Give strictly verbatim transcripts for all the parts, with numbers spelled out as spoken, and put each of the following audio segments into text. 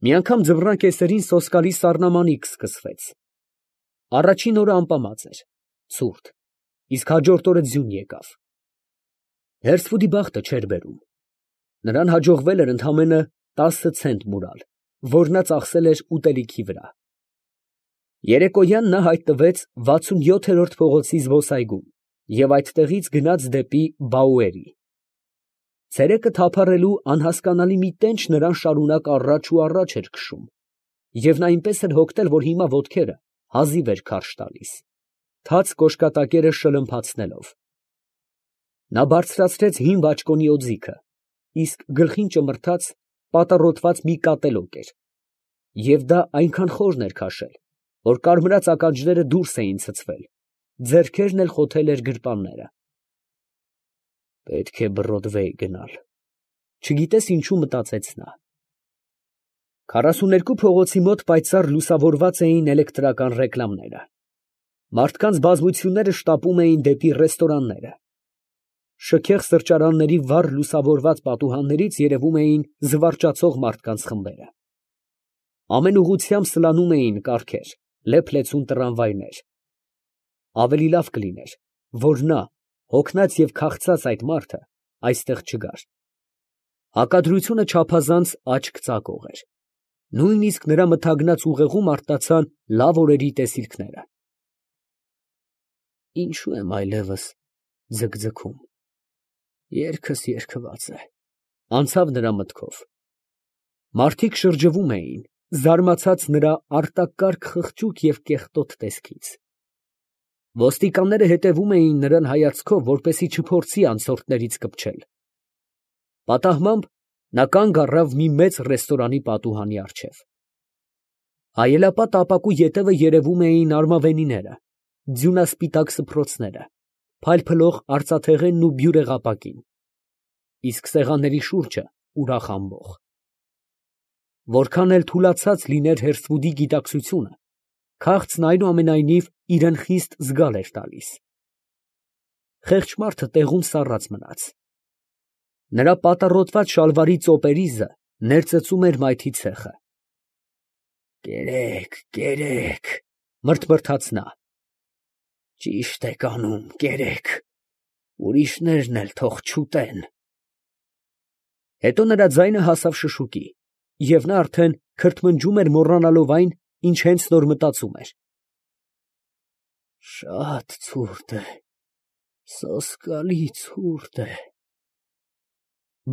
Մի անգամ ձվռան կեսերին սոսկալի սառնամանիք սկսվեց. առաջին օրը ամպամած էր, ցուրտ, իսկ հաջորդ օրը ձյուն եկավ. Հերսվուդի բախտը չէր բերում. նրան հաջողվել էր ընդամենը տասը ցենտ մուրալ, որ նա ծախսել էր ուտելիքի վրա։ Երեկոյան նա հայտնվեց վաթսունյոթերորդ փողոցի զբոսայգում և այդտեղից գնաց դեպի Բաուերի։ Ցերեկը թափառելու անհասկանալի մի տենչ նրան շարունակ առաջ ու առաջ էր քշում, և նա այնպես էր հոգնել, որ հիմա ոտքերը հազիվ էր քարշ տալիս, թաց կոշկատակերը շլմփացնելով։ Նա բարձրացրեց հին բաճկոնի օձիքը, իսկ գլխին ճմրթաց պատառոտված մի կատելոկ էր, և դա այնքան խորն էր քաշել, որ կարմրած ականջները դուրս էին ցցվել, ձեռքերն էլ խոթել էր գրպանները։ Պետք է Բրոդվեյ գնալ, չգիտես ինչու մտածեց նա։ Քառասուներկու փողոցի մոտ պայծառ լուսավորված էին էլեկտրական ռեկլամները։ Մարդկանց բազմությունները շտապում էին դեպի ռեստորանները։ Շքեղ սրճարանների վառ լուսավորված պատուհաններից երևում էին զվարճացող մարդկանց խմբերը։ Ամեն ուղղությամբ սլանում էին կառքեր, լեփ֊լեցուն տրամվայներ։ Ավելի լավ կլիներ, որ նա, հոգնած և քաղցած այդ մարդը, այստեղ չգար։ Հակադրությունը չափազանց աչք ծակող էր։ Նույնիսկ նրա մթագնած ուղեղում արթնացան լավ օրերի տեսիլքները։ Ինչո՞ւ եմ այլևս ձգձգում, երգս երգված է, անցավ նրա մտքով։ Մարդիկ շրջվում էին, զարմացած նրա արտակարգ խղճուկ և կեղտոտ տեսքից։ Ոստիկանները հետևում էին նրան հայացքով, որպեսզի չփորձի անցորդներից կպչել։ Պատահմամբ նա կանգ առավ մի մեծ ռեստորանի պատուհանի առջև։ Հայելապատ ապակու ետևը երևում էին արմավենիները, ձյունասպիտակ սփռոցները, փայլփլող արծաթեղենն ու բյուրեղապակին, իսկ սեղանների շուրջը ուրախ ամբոխ։ Որքան էլ թուլացած լիներ Հերսվուդի գիտակցությունը, քաղցն այնուամենայնիվ իրան խիստ զգալ էր տալիս։ Խեղճ մարդը տեղում սառած մնաց։ Նրա պատառոտված շալվարի ծոպերիզը ներծծում էր մայթի ցեխը։ Կերեք, կերեք, մրթմրթաց նա։ Ճիշտ եք անում, կերեք, ուրիշներն էլ թող չուտեն։ Հետո նրա ձայնը հասավ շշուկի, և նա արդեն քրթմնջում էր, մոռանալով այն, ինչ հենց նոր մտածում էր։ Շատ ցուրտ է, սոսկալի ցուրտ է։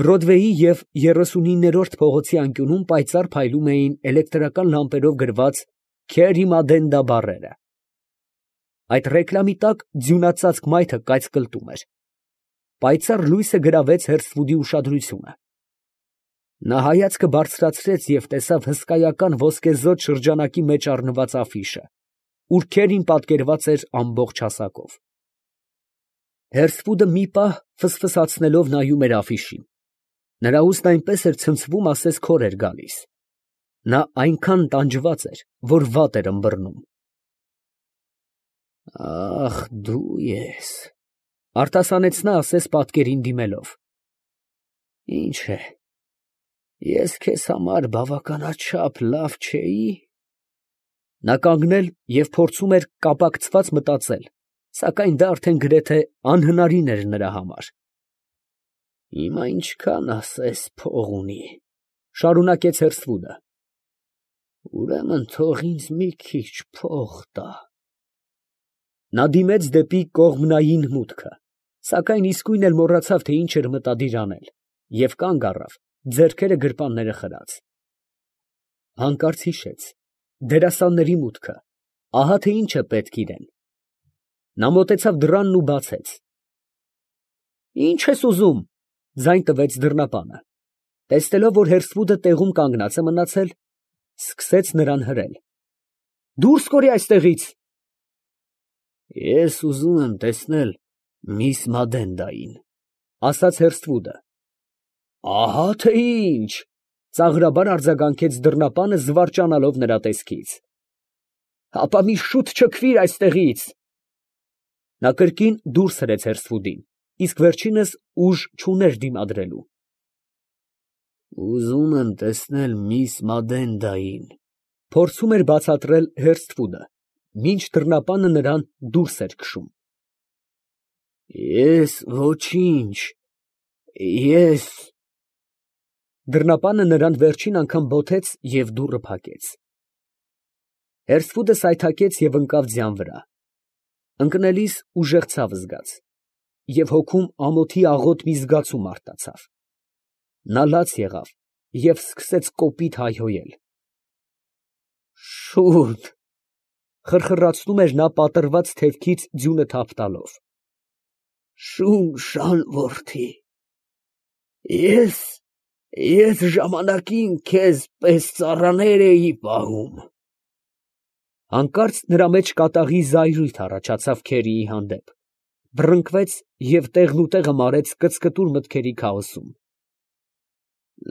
Բրոդվեյի և երեսունիններորդ փողոցի անկյունում պայծառ փայլում էին էլեկտրական լամպերով գրված «Քերի Մադենդա» բառերը։ Այդ ռեկլամի տակ ձյունածածկ մայթը կայծկլտում էր։ Պայծառ լույսը գրավեց Հերսվուդի ուշադրությունը։ Նա հայացքը բարձրացրեց և տեսավ հսկայական ոսկեզօծ շրջանակի մեջ առնված աֆիշը, ուր Քերին պատկերված էր ամբողջ հասակով։ Հերսվուդը մի պահ ֆսֆսացնելով նայում էր աֆիշին։ Նրա ուստն այնպես էր ցնցվում, ասես քոր էր գալիս։ Նա այնքան տանջված էր, որ վատ էր ըմբռնում։ Ախ, դու ես, արտասանեց նա, ասես պատկերին դիմելով։ Ինչ է, ես քեզ համար բավականաչափ լավ չէի՞։ Նա կանգնել և փորձում էր կապակցված մտածել, սակայն դա արդեն գրեթե անհնարին էր նրա համար։ Հիմա ինչքան ասես փող ունի, շարունակեց Հերսվուդը։ Ուրեմն թող ինձ մի քիչ փող տա։ Նա դիմեց դեպի կողմնային մուտքը, սակայն իսկույն էլ մոռացավ, թե ինչ էր մտադիր անել, և կանգ առավ, ձեռքերը գրպանները խրած։ Հանկարծ հիշեց. դերասանների մուտքը, ահա թե ինչ է պետք իրեն։ Նա մոտեցավ դռանն ու բացեց։ Ի՞նչ ես ուզում, ձայն տվեց դռնապանը։ Տեսնելով, որ Հերսվուդը տեղում կանգնած է մնացել, սկսեց նրան հրել։ Դուրս կորի այստեղից։ Ես ուզում եմ տեսնել միս Մադենդային, ասաց Հերսվուդը։ Ահա թե ինչ, ծաղրաբար արձագանքեց դռնապանը, զվարճանալով նրա տեսքից։ Հապա մի շուտ չքվիր այստեղից։ Նա կրկին դուրս հրեց Հերսվուդին, իսկ վերջինս ուժ չուներ դիմադրելու։ Ուզում եմ տեսնել միս Մադենդային, փորձում էր բացատրել Հերսթվուդը, մինչ դռնապանը նրան դուրս էր քշում։ Ես ոչինչ, ես… Դռնապանը նրան վերջին անգամ բոթեց և դուռը փակեց։ Հերսթվուդը սայթաքեց և ընկավ ձյան վրա։ Ընկնելիս ուժեղ ցավ զգաց, և հոգում ամոթի աղոտ մի զգացում արթնացավ։ Նա լաց եղավ և սկսեց կոպիտ հայհոյել։ Շո՛ւտ… խրխռացնում էր նա պատռված թևքից ձյունը թափ տալով։ Շուն շան որդի… ես… ես ժամանակին քեզ պես ծառաներ էի պահում… Հանկարծ նրա մեջ կատաղի զայրույթ առաջացավ Քերիի հանդեպ, վռնդկվեց և տեղնուտեղը մարեց կծկտուր մտքերի քաոսում։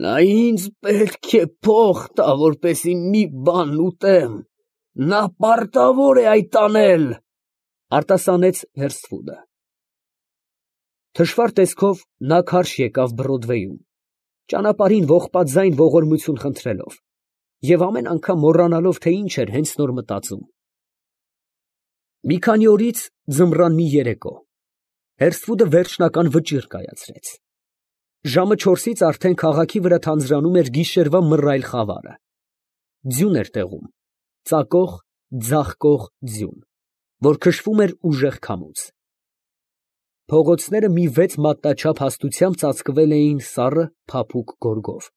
Նա ինձ պետք է փող տա, որպեսզի մի բան ուտեմ, նա պարտավոր է այդ անել, արտասանեց Հերսթվուդը։ Թշվառ տեսքով նա քարշ եկավ Բրոդվեյում, ճանապարհին ողբաթ ձայն ողորմություն խնդրելով և ամեն անգամ մոռանալով, թե ինչ էր հենց նոր մտածում։ Մի քանի օրից ձմռան մի երեկո Հերսթվուդը վերջնական վճիռ կայացրեց։ Ժամը չորսից արդեն քաղաքի վրա թանձրանում էր գիշերվա մռայլ խավարը։ Ձյուն էր տեղում, ծակող, ձաղկող ձյուն, որ քշվում էր ուժեղ քամուց։ Փողոցները մի վեց մատնաչափ հաստությամբ ծածկվել էին սառը, փափուկ գորգով,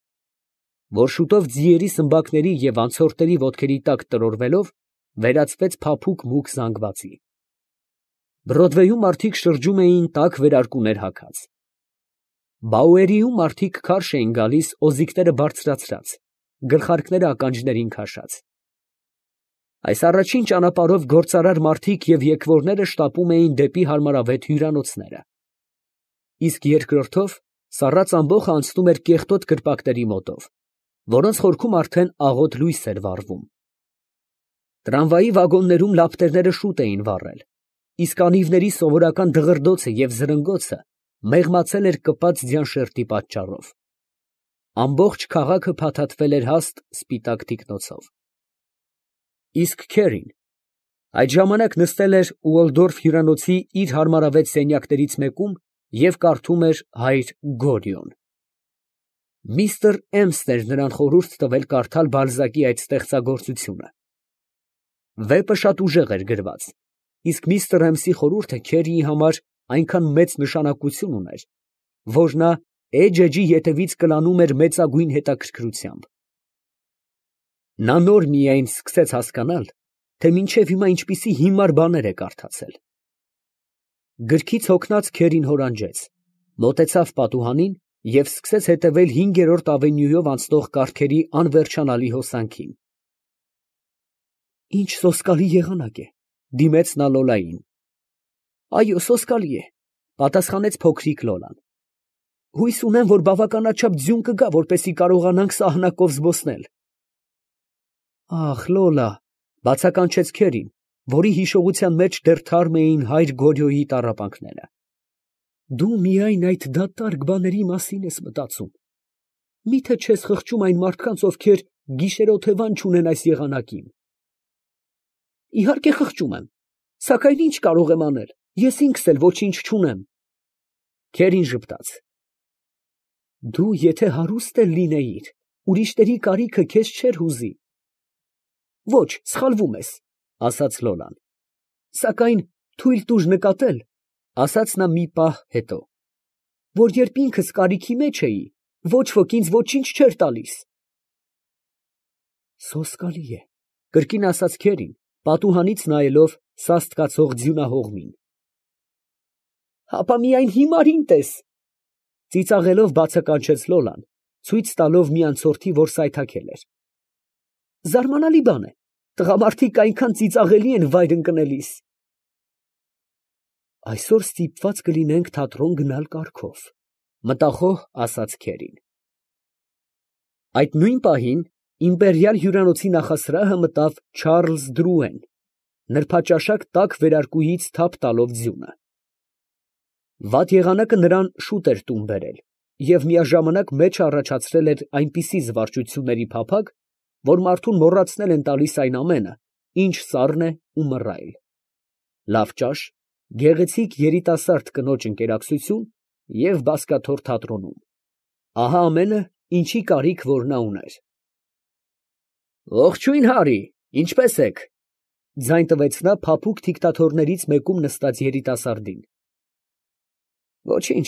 որ շուտով ձիերի սմբակների և անցորդների ոտքերի տակ տրորվելով, վերածվեց փափուկ մուգ զանգվածի։ Բրոդվեյում մարդիկ շրջում էին տաք վերարկուներ հագած։ Բաուերիում մարդիկ քարշ էին գալիս օձիքները բարձրացրած, գլխարկները ականջներին քաշած։ Այս առաջին ճանապարհով գործարար մարդիկ և եկվորները շտապում էին դեպի հարմարավետ հյուրանոցները, իսկ երկրորդով սառած ամբոխը անցնում էր կեղտոտ կրպակների մոտով, որոնց խորքում արդեն աղոտ լույս էր վառվում։ Տրամվայի վագոններում լապտերները շուտ էին վառել, իսկ անիվների սովորական դղրդոցը և զրնգոցը մեղմացել էր կպած ձյան շերտի պատճառով։ Ամբողջ քաղաքը փաթաթվել էր հաստ սպիտակ թիկնոցով։ Իսկ Քերին այդ ժամանակ նստել էր Ուոլդորֆ հյուրանոցի իր հարմարավետ սենյակներից մեկում և կարդում էր հայր Գորիոն։ Միսթր Էմսն էր նրան խորհուրդ տվել կարդալ Բալզակի այդ ստեղծագործությունը։ Վեպը շատ ուժեղ էր գրված, իսկ միսթր Էմսի խորհուրդը Քերիի համար այնքան մեծ նշանակություն ուներ, որ նա էջ էջի ետևից կլանում էր մեծագույն հետաքրքրությամբ։ Նա նոր միայն սկսեց հասկանալ, թե մինչև հիմա ինչպիսի հիմար բաներ է կարդացել։ Գրքից հոգնած Քերին հորանջեց, մոտեցավ պատուհանին և սկսեց հետևել հինգերորդ ավենյուով անցնող կառքերի անվերջանալի հոսանքին։ Ինչ սոսկալի եղանակ է, դիմեց նա Լոլային։ Այո, սոսկալի է, պատասխանեց փոքրիկ Լոլան։ Հույս ունեմ, որ բավականաչափ ձյուն կգա, որպեսզի կարողանանք սահնակով զբոսնել։ Ախ, Լոլա, բացականչեց Քերին, որի հիշողության մեջ դեռ թարմ էին հայր Գորիոյի տառապանքները։ Դու միայն այդ դատարկ բաների մասին ես մտածում։ Մի՞թե չես խղճում այն մարդկանց, ովքեր գիշերօթևան չունեն այս եղանակին։ Իհարկե խղճում եմ, սակայն ի՞նչ կարող եմ անել, ես ինքս էլ ոչինչ չունեմ։ Քերին ժպտաց։ Դու եթե հարուստ էլ լինեիր, ուրիշների կարիքը քեզ չէր հուզի։ Ոչ, սխալվում ես, ասաց Լոլան։ Սակայն թույլ տուր նկատել, ասաց նա մի պահ հետո, որ երբ ինքս կարիքի մեջ էի, ոչ ոք ինձ ոչինչ չէր տալիս։ Սոսկալի է, կրկին ասաց Քերին, պատուհանից նայելով սաստկացող ձյունահողմին։ Հապա միայն հիմարին տես, ծիծաղելով բացականչեց Լոլան, ցույց տալով մի անցորդի, որ սայթաքել էր։ Զարմանալի բան է, տղամարդիկ այնքան ծիծաղելի են վայր ընկնելիս։ Այսօր ստիպված կլինենք թատրոն գնալ կառքով, մտախոհ ասաց Քերին։ Այդ նույն պահին իմպերիալ հյուրանոցի նախասրահը մտավ Չարլզ Դրուեն, նրբաճաշակ տաք վերարկուից թափ տալով ձյունը։ Վատ եղանակը նրան շուտ էր տուն բերել, և միաժամանակ մեջը առաջացրել էր այնպիսի զվարճությունների փափագ, որ մարդուն մոռացնել են տալիս այն ամենը, ինչ սառն է ու մռայլ. լավ ճաշ, գեղեցիկ երիտասարդ կնոջ ընկերակցություն և բազկաթոռ թատրոնում, ահա ամենը, ինչի կարիք որ նա ուներ։ ֊ Ողջույն, Հարի, ինչպե՞ս եք, ֊ ձայն տվեց նա փափուկ թիկթաթոռներից մեկում նստած երիտասարդին։ ֊ Ոչինչ,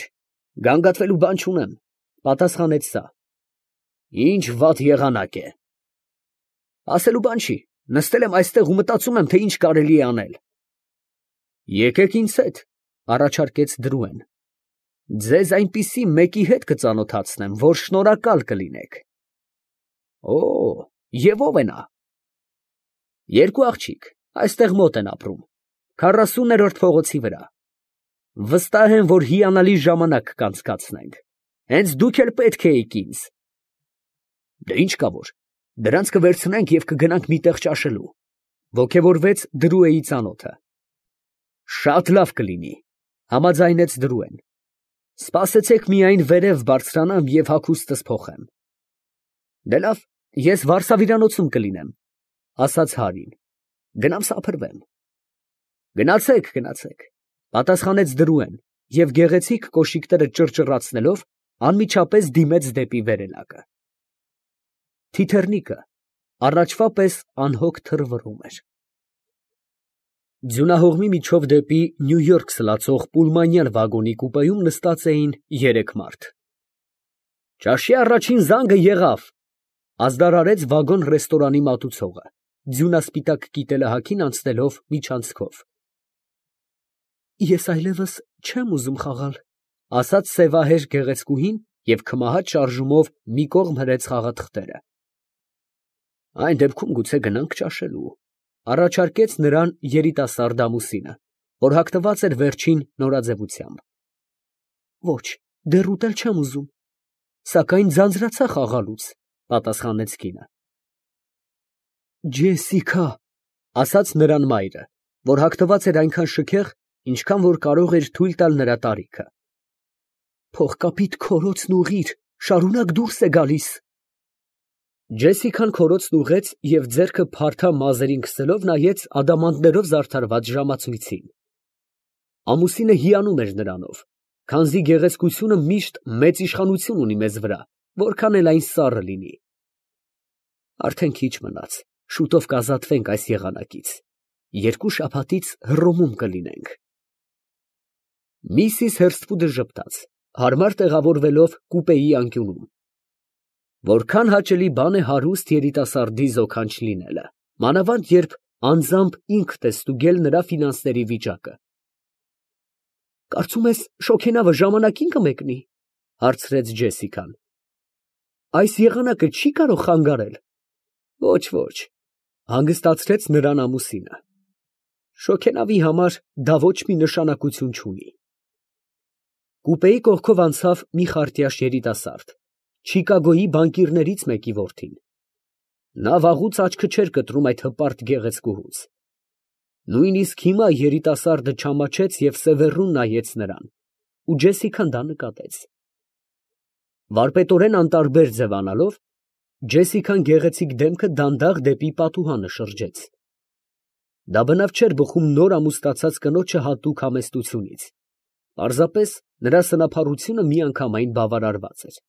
գանգատվելու բան չունեմ, ֊ պատասխանեց նա։ ֊ Ի՞նչ վատ եղանակ է։ ֊ Ասելու բան չի, նստել եմ այստեղ ու մտածում եմ, թե ինչ կարելի է անել։ ֊ Եկեք ինձ հետ, ֊ առաջարկեց Դրուեն, ֊ ձեզ այնպիսի մեկի հետ կծանոթացնեմ, որ շնորհակալ կլինեք։ ֊ Օ՜, և ո՞վ է նա։ ֊ Երկու աղջիկ, այստեղ մոտ են ապրում, քառասուներորդ փողոցի վրա։ Վստահ եմ, որ հիանալի ժամանակ կանցկացնենք, հենց դուք էլ պետք էիք ինձ։ ֊ Ինչ կա որ, դրանց կվերցնենք և կգնանք մի տեղ ճաշելու, ֊ ոգևորվեց Դրուեի ծանոթը։ ֊ Շատ լավ կլինի, ֊ համաձայնեց Դրուեն։ ֊ Սպասեցեք միայն վերև բարձրանամ և հագուստս փոխեմ։ ֊ Դե լավ, ես վարսավիրանոցում կլինեմ, ֊ ասաց Հարին, ֊ գնամ սափրվեմ։ ֊ Գնացեք, գնացեք, ֊ պատասխանեց Դրուեն և գեղեցիկ կոշիկները ճռճռացնելով անմիջապես դիմեց դեպի վերելակը։ Թիթեռնիկը առաջվա պես անհոգ թրվռում էր։ Ձյունահողմի միջով դեպի Նյու Յորք սլացող պուլմանյան վագոնի կուպեում նստած էին երեք մարդ։ ֊ Ճաշի առաջին զանգը եղավ, ֊ ազդարարեց վագոն֊ռեստորանի մատուցողը, ձյունասպիտակ կիտելահագին անցնելով միջանցքով։ ֊ Ես այլևս չեմ ուզում խաղալ, ֊ ասաց սևահեր գեղեցկուհին և քմահաճ շարժումով մի կողմ հրեց խաղաթղթերը։ ֊ Այն դեպքում գուցե գնանք ճաշելու, ֊ առաջարկեց նրան երիտասարդ ամուսինը, որ հագնված էր վերջին նորաձևությամբ։ ֊ Ոչ, դեռ ուտել չեմ ուզում, սակայն ձանձրացա խաղալուց, ֊ պատասխանեց կինը։ ֊ Ջեսիկա, ֊ ասաց նրան մայրը, որ հագնված էր այնքան շքեղ, ինչքան որ կարող էր թույլ տալ նրա տարիքը։ ֊ Փողկապիդ քորոցն ուղղիր, շարունակ դուրս է գալիս։ Ջեսիկան քորոցն ուղղեց և ձեռքը փարթամ մազերին քսելով նայեց ադամանդներով զարդարված ժամացույցին։ Ամուսինը հիանում էր նրանով, քանզի գեղեցկությունը միշտ մեծ իշխանություն ունի մեզ վրա, որքան էլ այն սառը լինի։ Արդեն քիչ մնաց, շուտով կազատվենք այս եղանակից, երկու շաբաթից Հռոմում կլինենք։ Միսիս Հերսթվուդը ժպտաց, հարմար տեղավորվելով կուպեի անկյունում։ Որքան հաճելի բան է հարուստ երիտասարդի զոքանչ լինելը, մանավանդ երբ անձամբ ինքդ ես ստուգել նրա ֆինանսների վիճակը։ ֊ Կարծում ես շոգենավը ժամանակին կմեկնի, ֊ հարցրեց Ջեսիկան։ ֊ Այս եղանակը չի կարող խանգարել։ ֊ Ոչ, ոչ, ֊ հանգստացրեց նրան ամուսինը։ ֊ Շոգենավի համար դա ոչ մի նշանակություն չունի։ Կուպեի կողքով անցավ մի խարտյաշ երիտասարդ, Չիկագոյի բանկիրներից մեկի որդին։ Նա վաղուց աչքը չէր կտրում այդ հպարտ գեղեցկուհուց։ Նույնիսկ հիմա երիտասարդը չամաչեց և սևեռուն նայեց նրան, ու Ջեսիկան դա նկատեց։ Վարպետորեն անտարբեր ձևանալով, Ջեսիկան գեղեցիկ դեմքը դանդաղ դեպի պատուհանը շրջեց։ Դա բնավ չէր բխում նոր ամուսնացած կնոջը հատուկ համեստությունից, պարզապես նրա սնափառությունը միանգամայն բավարարված էր։